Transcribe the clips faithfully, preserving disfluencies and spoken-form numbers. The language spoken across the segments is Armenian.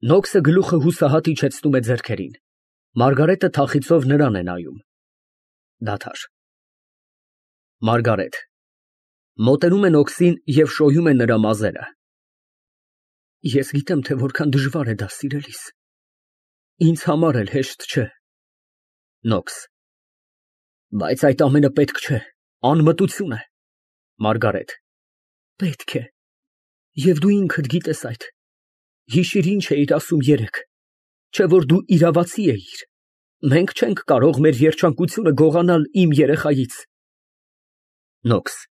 Նոքսը գլուխը հուսահատ իջեցնում է ձեռքերին, Մարգարետը թախիծով նրան է նայում։ Դադար։ ՄԱՐԳԱՐԵՏ ֊ (Մոտենում է Նոքսին և շոյում է նրա մազերը) Ես գիտեմ, թե որքան դժվար է դա սիրելիս, ինձ համար էլ հեշտ չէ։ ՆՈՔՍ ֊ Բայց այդ ամենը պետք չէ, անմտություն է։ ՄԱՐԳԱՐԵՏ ֊ Պետք է, և դու ինքդ գիտես այդ։ Հիշիր, ինչ էիր ասում երեկ, չէ՞ որ դու իրավացի էիր։ Մենք չենք կարող մեր երջանկությունը գողանալ իմ երեխայից։ ՆՈՔՍ ֊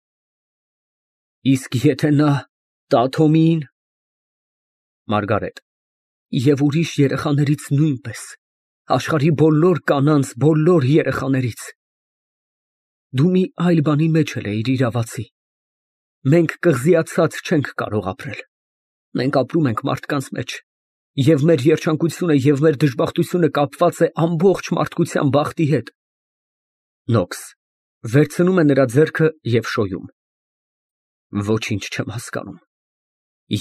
Իսկ եթե նա տա Թոմիին։ ՄԱՐԳԱՐԵՏ ֊ Եվ ուրիշ երեխաներից նույնպես, աշխարհի բոլոր կանանց բոլոր երեխաներից։ Դու մի այլ բանի մեջ էլ էիր իրավացի։ Մենք կղզիացած չենք կարող ապրել։ Մենք ապրում ենք մարդկանց մեջ, և մեր երջանկությունը և մեր դժբախտությունը կապված է ամբողջ մարդկության բախտի հետ։ ՆՈՔՍ ֊ (Վերցնում է նրա ձեռքը և շոյում) Ոչինչ չեմ հասկանում։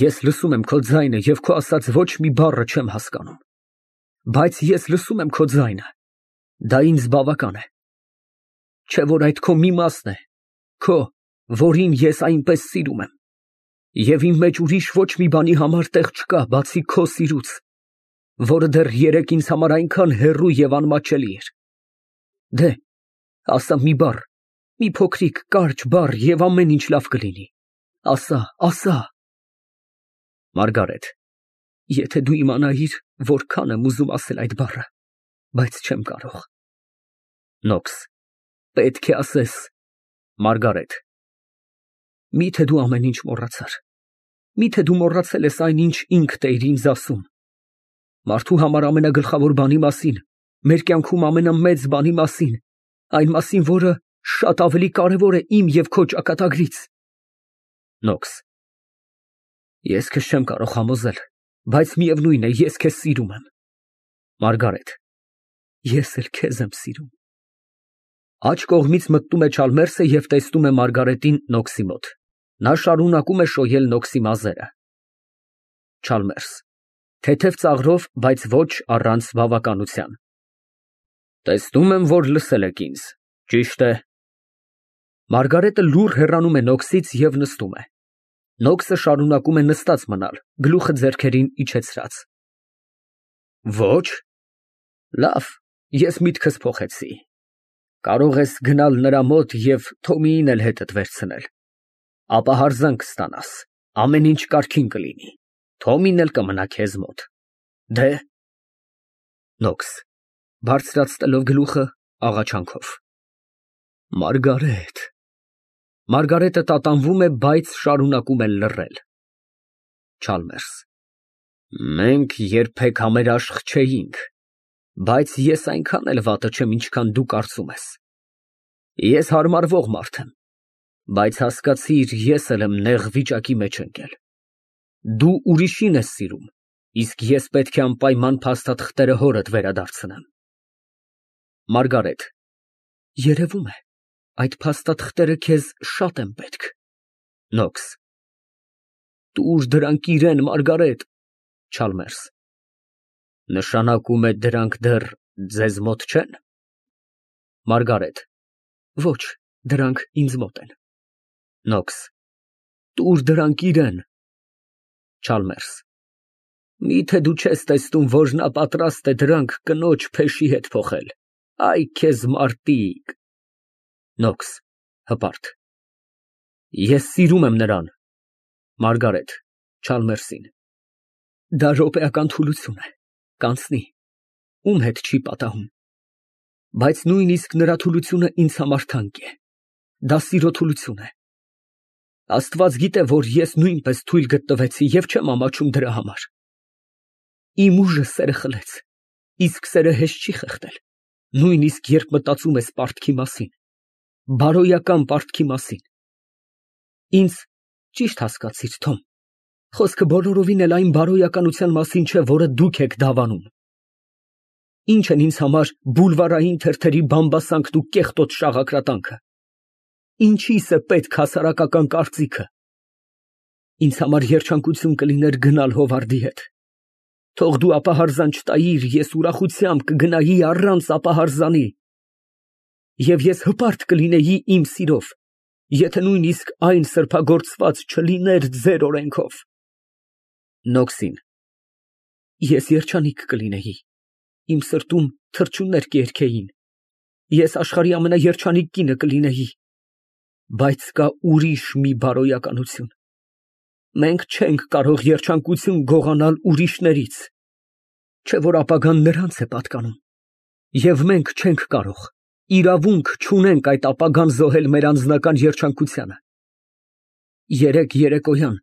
Ես լսում եմ քո ձայնը և քո ասած ոչ մի բառը չեմ հասկանում։ Բայց ես լսում եմ քո ձայնը, դա ինձ բավական է։ Չէ՞ որ այդ քո մի մասն է, քո, որին ես այնպես սիրում եմ։ Եվ իմ մեջ ուրիշ ոչ մի բանի համար տեղ չկա, բացի քո սիրուց, որը դեռ երեկ ինձ համար այնքան հեռու և անմատչելի էր։ Դե, ասա մի բառ, մի փոքրիկ կարճ բառ, և ամեն ինչ լավ կլինի։ Ասա, ասա։ ՄԱՐԳԱՐԵՏ ֊ Եթե դու իմանայիր, որքան եմ ուզում ասել այդ բառը, բայց չեմ կարող։ ՆՈՔՍ ֊ Պետք է ասես։ ՄԱՐԳԱՐԵՏ ֊ Մի՞թե դու ամեն ինչ մոռացար։ Մի՞թե դու մոռացել ես այն, ինչ ինքդ էիր ինձ ասում։ Մարդու համար ամենագլխավոր բանի մասին, մեր կյանքում ամենամեծ բանի մասին, այն մասին, որը շատ ավելի կարևոր է իմ և քո ճակատագրից։ ՆՈՔՍ ֊ Ես քեզ չեմ կարող համոզել, բայց միևնույն է, ես քեզ սիրում եմ։ ՄԱՐԳԱՐԵՏ ֊ Ես էլ քեզ եմ սիրում։ (Աջ կողմից մտնում է Չալմերսը և տեսնում է Մարգարետին Նոքսի մոտ։ Նա շարունակում է շոյել Նոքսի մազերը)։ ՉԱԼՄԵՐՍ ֊ (Թեթև ծաղրով, բայց ոչ առանց բավականության) Տեսնում եմ, որ լսել եք ինձ, ճի՞շտ է։ (Մարգարետը լուռ հեռանում է Նոքսից և նստում է։ Նոքսը շարունակում է նստած մնալ, գլուխը ձեռքերին իջեցրած)։ Ոչ։ Լավ, ես միտքս փոխեցի։ Կարող ես գնալ նրա մոտ և Թոմիին էլ հետդ վերցնել։ Ապա հարգանք կստանաս, ամեն ինչ կարգին կլինի, Թոմին էլ կմնա քեզ մոտ։ Դե՞։ ՆՈՔՍ ֊ (Բարձրացնելով գլուխը, աղաչանքով) Մարգարետ։ (Մարգարետը տատանվում է, բայց շարունակում է լռել)։ ՉԱԼՄԵՐՍ ֊ Մենք երբեք համերաշխ չէինք, բայց ես այնքան էլ վատը չեմ, ինչքան դու կարծում ես։ Ես հարմարվող մարդ եմ, բայց հասկացիր, ես էլ եմ նեղ վիճակի մեջ ընկել։ Դու ուրիշին ես սիրում, իսկ ես պետք է անպայման փաստաթղթերը հորդ վերադարձնեմ։ ՄԱՐԳԱՐԵՏ ֊ Երևում է, այդ փաստաթղթերը քեզ շատ են պետք։ ՆՈՔՍ ֊ Տուր դրանք իրան, Մարգարետ։ ՉԱԼՄԵՐՍ ֊ Նշանակում է դրանք դեռ ձեզ մոտ չե՞ն։ ՄԱՐԳԱՐԵՏ ֊ Ոչ, դրանք ինձ մոտ են։ ՆՈՔՍ ֊ Տուր դրանք իրան։ ՉԱԼՄԵՐՍ ֊ Մի՞թե դու չես տեսնում, որ նա պատրաստ է դրանք կնոջ փեշի հետ փոխել։ Այ քեզ մարտիկ։ ՆՈՔՍ ֊ (Հպարտ) Ես սիրում եմ նրան։ ՄԱՐԳԱՐԵՏ ֊ (Չալմերսին) Դա րոպեական թուլություն է, կանցնի, ում հետ չի պատահում։ Բայց նույնիսկ նրա թուլությունը ինձ համար թանկ է, դա սիրո թուլություն է։ Աստված գիտե, որ ես նույնպես թույլ գտնվեցի և չեմ ամաչում դրա համար։ Իմ ուժը սերը խլեց, իսկ սերը հեշտ չի խեղդել, նույնիսկ երբ մտածում ես պարտքի մասին, բարոյական պարտքի մասին։ Ինձ ճիշտ հասկացիր, Թոմ, խոսքը բոլորովին էլ այն բարոյականության մասին չէ, որը դուք եք դավանում։ Ինչ են ինձ համար բուլվարային թերթերի բամբասանքն ու կեղտոտ շաղակրատանքը։ Ինչի՞ս է պետք հասարակական կարծիքը։ Ինձ համար երջանկություն կլիներ գնալ Հովարդի հետ։ Թող դու ապահարզան չտայիր, ես ուրախությամբ կգնայի առանց ապահարզանի։ Եվ ես հպարտ կլինեի իմ սիրով, եթե նույնիսկ այն սրբագործված չլիներ ձեր օրենքով։ Նոքսին ես երջանիկ կլինեի, իմ սրտում թռչուններ կերքեին, ես աշխարհի ամենաերջանիկ կինը կլինեի, բայց կա ուրիշ մի բարոյականություն։ Մենք չենք կարող երջանկություն գողանալ ուրիշներից, չէ որ ապագան նրանց է պատկանում, և մենք չենք կարող, իրավունք չունենք այդ ապագան զոհել մեր անձնական երջանկությանը։ Երեկ երեկոյան,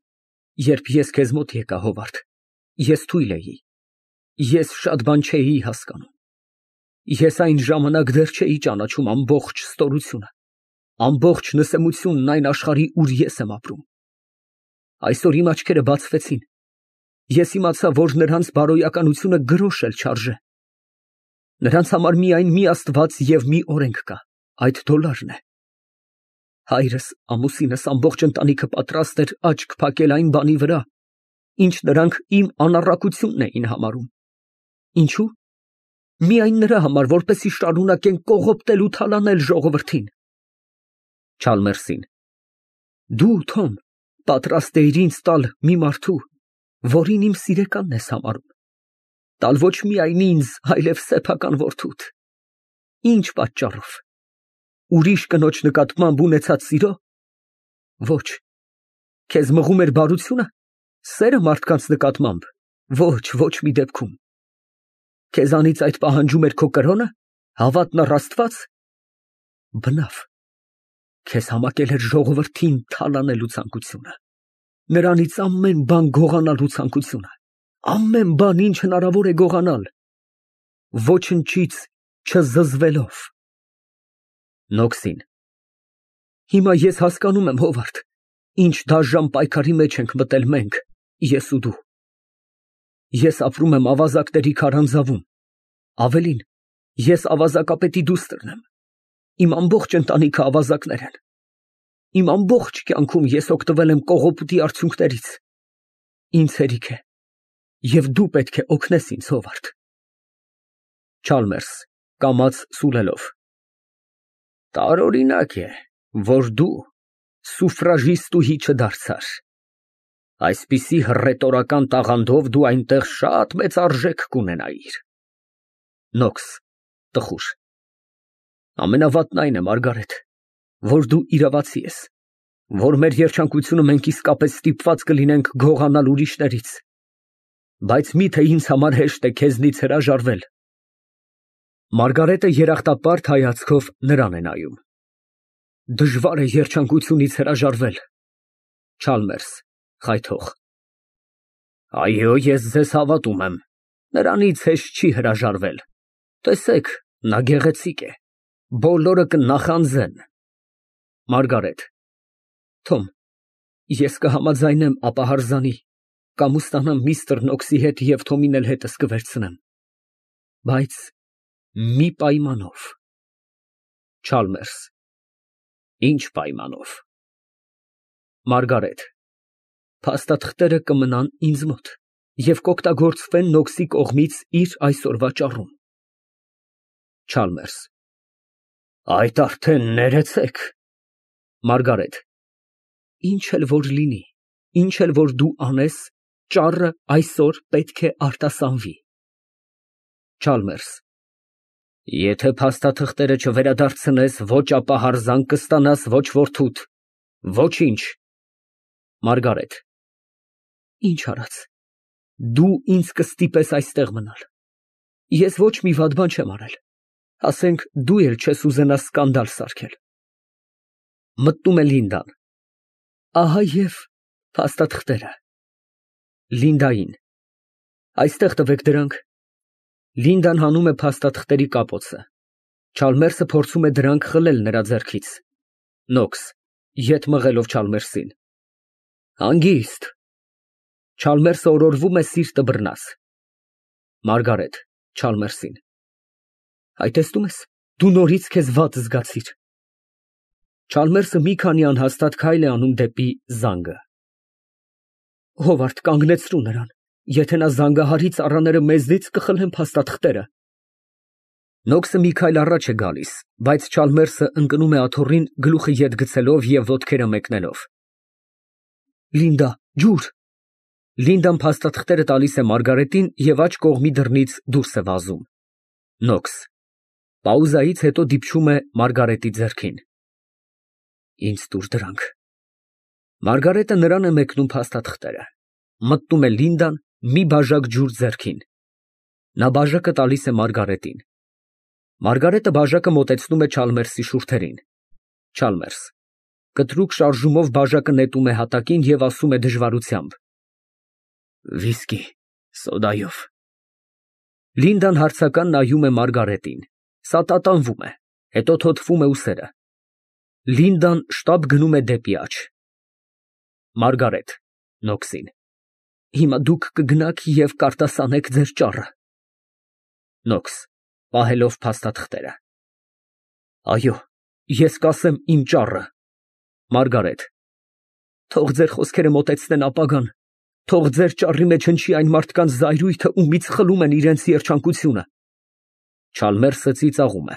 երբ ես քեզ մոտ եկա, Հովարդ, ես թույլ էի, ես շատ բան չէի հասկանում, ես այն ժամանակ դեռ չէի ճանաչում ամբողջ ստորությունը, ամբողջ նսեմությունն այն աշխարհի, ուր ես եմ ապրում։ Այսօր իմ աչքերը բացվեցին, ես իմացա, որ նրանց բարոյականությունը գրոշ էլ չարժե։ Նրանց համար միայն մի Աստված և մի օրենք կա, այդ դոլարն է։ Հայրս, ամուսինս, ամբողջ ընտանիքը պատրաստ էր աչք փակել այն բանի վրա, ինչ նրանք իմ անառակությունն էին համարում։ Ինչո՞ւ։ Միայն նրա համար, որպեսզի շարունակեն կողոպտել ու թալանել ժողովրդին։ Չալմերսին դու, Թոմ, պատրաստ էիր ինձ տալ մի մարդու, որին իմ սիրեկանն ես համարում, տալ ոչ միայն ինձ, այլև սեփական որդուդ։ Ինչ պատճառով։ Ուրիշ կնոջ նկատմամբ ունեցած սիրո։ Ոչ։ Քեզ մղում էր բարությունը, սերը մարդկանց նկատմամբ։ Ոչ, ոչ մի դեպքում։ Քեզանից այդ պահանջում էր քո կրոնը, հավատն առ Աստված։ Բնավ, քեզ համակել էր ժողովրդին թալանելու ցանկությունը, նրանից ամեն բան գողանալու ցանկությունը, ամեն բան, ինչ հնարավոր է գողանալ, ոչնչից չզզվելով։ Նոքսին հիմա ես հասկանում եմ, Հովարդ, ինչ դաժան պայքարի մեջ ենք մտել մենք, ես ու դու։ Ես ապրում եմ ավազակների քարանձավում, ավելին, ես ավազակապետի դուստրն եմ, իմ ամբողջ ընտանիքը ավազակներ են, իմ ամբողջ կյանքում ես օգտվել եմ կողոպուտի արդյունքներից, ինձ հերիք է, և դու պետք է օգնես ինձ, Հովարդ։ Չալմերս կամաց սուլելով տարօրինակ է, որ դու սուֆրաժիստուհի չդարձար, այսպիսի հռետորական տաղանդով դու այնտեղ շատ մեծ արժեք կունենայիր։ Նոքս տխուր ամենավատն այն է, Մարգարետ, որ դու իրավացի ես, որ մեր երջանկությունը մենք իսկապես ստիպված կլինենք գողանալ ուրիշներից, բայց միթե ինձ համար հեշտ է քեզնից հրաժարվել։ Մարգարետը երախտապարտ հայացքով նրան է նայում։ Դժվար է երջանկությունից հրաժարվել։ Չալմերս խայթող այո, ես ձեզ հավատում եմ, նրանից հեշտ չի հրաժարվել, տեսեք, նա գեղեցիկ է, բոլորը կնախանձեն։ Մարգարետ Թոմ, ես կհամաձայնեմ ապահարզանի, կամ ուստանամ միստր Նոքսի հետ և Թոմին էլ հետս կվերցնեմ, բայց մի պայմանով։ Չալմերս ինչ պայմանով։ Մարգարետ փաստաթղթերը կմնան ինձ մոտ և կօգտագործվեն Նոքսի կողմից իր այսօրվա ճառում։ Չալմերս այդ արդեն ներեցեք։ Մարգարետ ինչ էլ որ լինի, ինչ էլ որ դու անես, ճառը այսօր պետք է արտասանվի։ Չալմերս եթե փաստաթղթերը չվերադարձնես, ոչ ապահարզան կստանաս, ոչ որդուդ, ոչինչ։ Մարգարետ ինչ արած, դու ինձ կստիպես այստեղ մնալ, ես ոչ մի վատ բան չեմ արել, ասենք դու էլ չես ուզենա սկանդալ սարքել։ Մտնում է Լինդան։ Ահա և փաստաթղթերը։ Լինդային այստեղ տվեք դրանք։ Լինդան հանում է փաստաթղթերի կապոցը, Չալմերսը փորձում է դրանք խլել նրա ձեռքից։ Նոքս ետ մղելով Չալմերսին հանգիստ։ Չալմերսը օրորվում է սիրտը բռնած։ Մարգարետ Չալմերսին այ տեսնում ես, դու նորից քեզ վատ զգացիր։ Չալմերսը մի քանի անհաստատ քայլ է անում դեպի զանգը։ Հովարդ, կանգնեցրու նրան, Եթե նա զանգահարի ծառաները մեզնից կխլեն փաստաթղթերը։ Նոքսը մի քայլ առաջ է գալիս, բայց Չալմերսը ընկնում է աթոռին, գլուխը ետ գցելով և ոտքերը մեկնելով։ Լինդա, ջուր։ Լինդան փաստաթղթերը տալիս է Մարգարետին և աջ կողմի դռնից դուրս է վազում։ Նոքս պաուզայից հետո դիպչում է Մարգարետի ձեռքին։ Ինձ տուր դրանք։ Մարգարետը նրան է մեկնում փաստաթղթերը։ Մտնում է Լինդան, մի բաժակ ջուր ձեռքին։ Նա բաժակը տալիս է Մարգարետին։ Մարգարետը բաժակը մոտեցնում է Չալմերսի շուրթերին։ Չալմերս կտրուկ շարժումով բաժակը նետում է հատակին և ասում է դժվարությամբ. Վիսկի, սոդայով։ Լինդան հարցական նայում է Մարգարետին, սա տատանվում է, հետո թոթվում է ուսերը։ Լինդան շտապ գնում է դեպի աջ։ Մարգարետ (Նոքսին) Հիմա դուք կգնաք և կարտասանեք ձեր ճառը։ Նոքս (Պահելով փաստաթղթերը) Այո, ես կասեմ իմ ճառը։ Մարգարետ Թող ձեր խոսքերը մոտեցնեն ապագան, թող ձեր ճառի մեջ հնչի այն մարդկանց զայրույթը, ումից խլում են իրենց երջանկությունը։ Չալմերսը ծիծաղում է։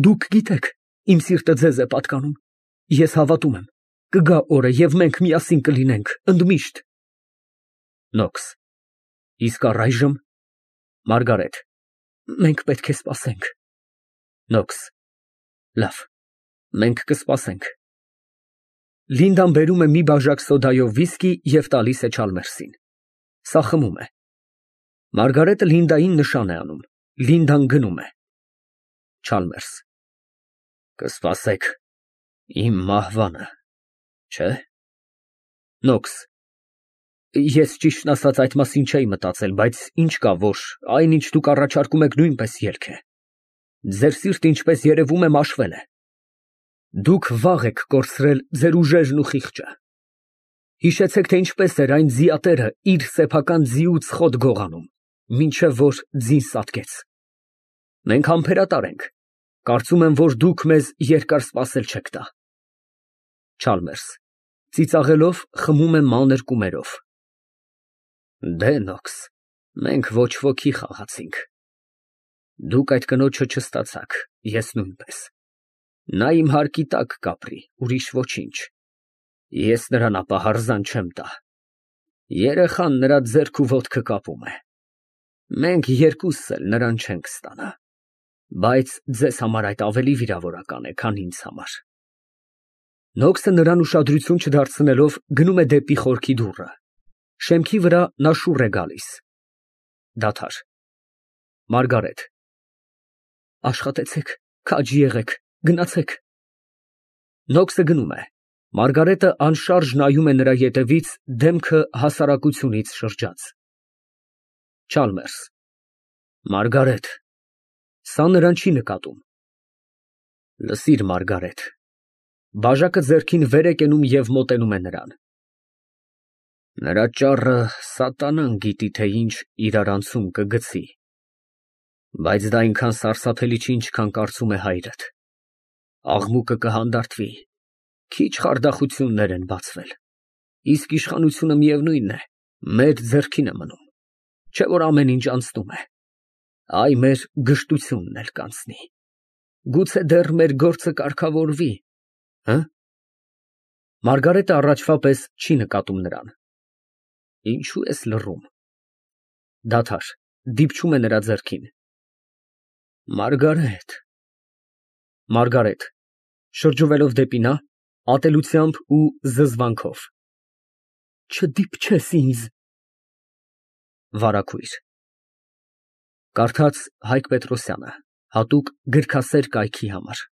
Դուք գիտեք, իմ սիրտը ձեզ է պատկանում։ Ես հավատում եմ, կգա օրը, և մենք միասին կլինենք, ընդմիշտ։ Նոքս Իսկ առայժմ։ Մարգարետ Մենք պետք է սպասենք։ Նոքս Լավ, մենք կսպասենք։ Լինդան բերում է մի բաժակ սոդայով վիսկի և տալիս է Չալմերսին։ Սա խմում է։ Մարգարետը Լինդային նշան է անում։ Լինդան գնում է։ Չալմերս Կսպասեք իմ մահվանը, չէ՞։ Նոքս Ես ճիշտն ասած այդ մասին չէի մտածել, բայց ինչ կա, որ այն, ինչ դուք առաջարկում եք, նույնպես ելք է։ Ձեր սիրտը, ինչպես երևում է, մաշվել է։ Դուք վաղ եք կորցրել ձեր ուժերն ու խիղճը։ Հիշեցեք, թե ինչպես էր այն ձիատերը իր սեփական ձիուց խոտ գողանում, մինչև որ ձին սատկեց։ Մենք համբերատար ենք, կարծում եմ, որ դուք մեզ երկար սպասել չեք տա։ Չալմերս ծիծաղելով խմում է մանր կումերով։ Դե Նոքս, մենք ոչ ոքի խաղացինք։ Դուք այդ կնոջը չստացաք, ես նույնպես։ Նա իմ հարկի տակ կապրի, ուրիշ ոչինչ։ Ես նրան ապա հարզան չեմ տա։ Երեխան նրա ձեռք ու ոտքը կապում է։ Մենք երկուսս էլ նրան չենք ստանա։ Բայց ձեզ համար այդ ավելի վիրավորական է, քան ինձ համար։ Նոքսը նրան ուշադրություն չդարձնելով գնում է դեպի խորքի դուռը։ Շեմքի վրա նա շուռ է գալիս։ Դադար։ Մարգարետ Աշխատեցեք, քաջ եղեք, գնացեք։ Նոքսը գնում է։ Մարգարետը անշարժ նայում է նրա ետևից, դեմքը հասարակությունից շրջած։ Չալմերս Մարգարետ Սա նրան չի նկատում։ Լսիր, Մարգարետ։ Բաժակը ձեռքին վեր է կենում և մոտենում է նրան։ Նրա ճառը սատանան գիտի, թե ինչ իրարանցում կգցի։ Բայց դա այնքան սարսափելի չի, ինչքան կարծում է հայրդ։ Աղմուկը կհանդարտվի, քիչ խարդախություններ են բացվել, իսկ իշխանությունը միևնույն է, մեր ձեռքին է մնում, չէ՞ որ ամեն ինչ անցնում է, այ մեր գժտությունն էլ կանցնի, գուցե դեռ մեր գործը կարգավորվի, հը՞։ Մարգարետը առաջվա պես չի նկատում նրան։ Ինչու ես լռում։ Դադար, դիպչում է նրա ձեռքին։ Մարգարետ։ Մարգարետ շրջվելով դեպի նա, ատելությամբ ու զզվանքով։ Չդիպչես ինձ։ Վարագույր։ Կարդաց Հայկ Պետրոսյանը, հատուկ գրքասեր կայքի համար։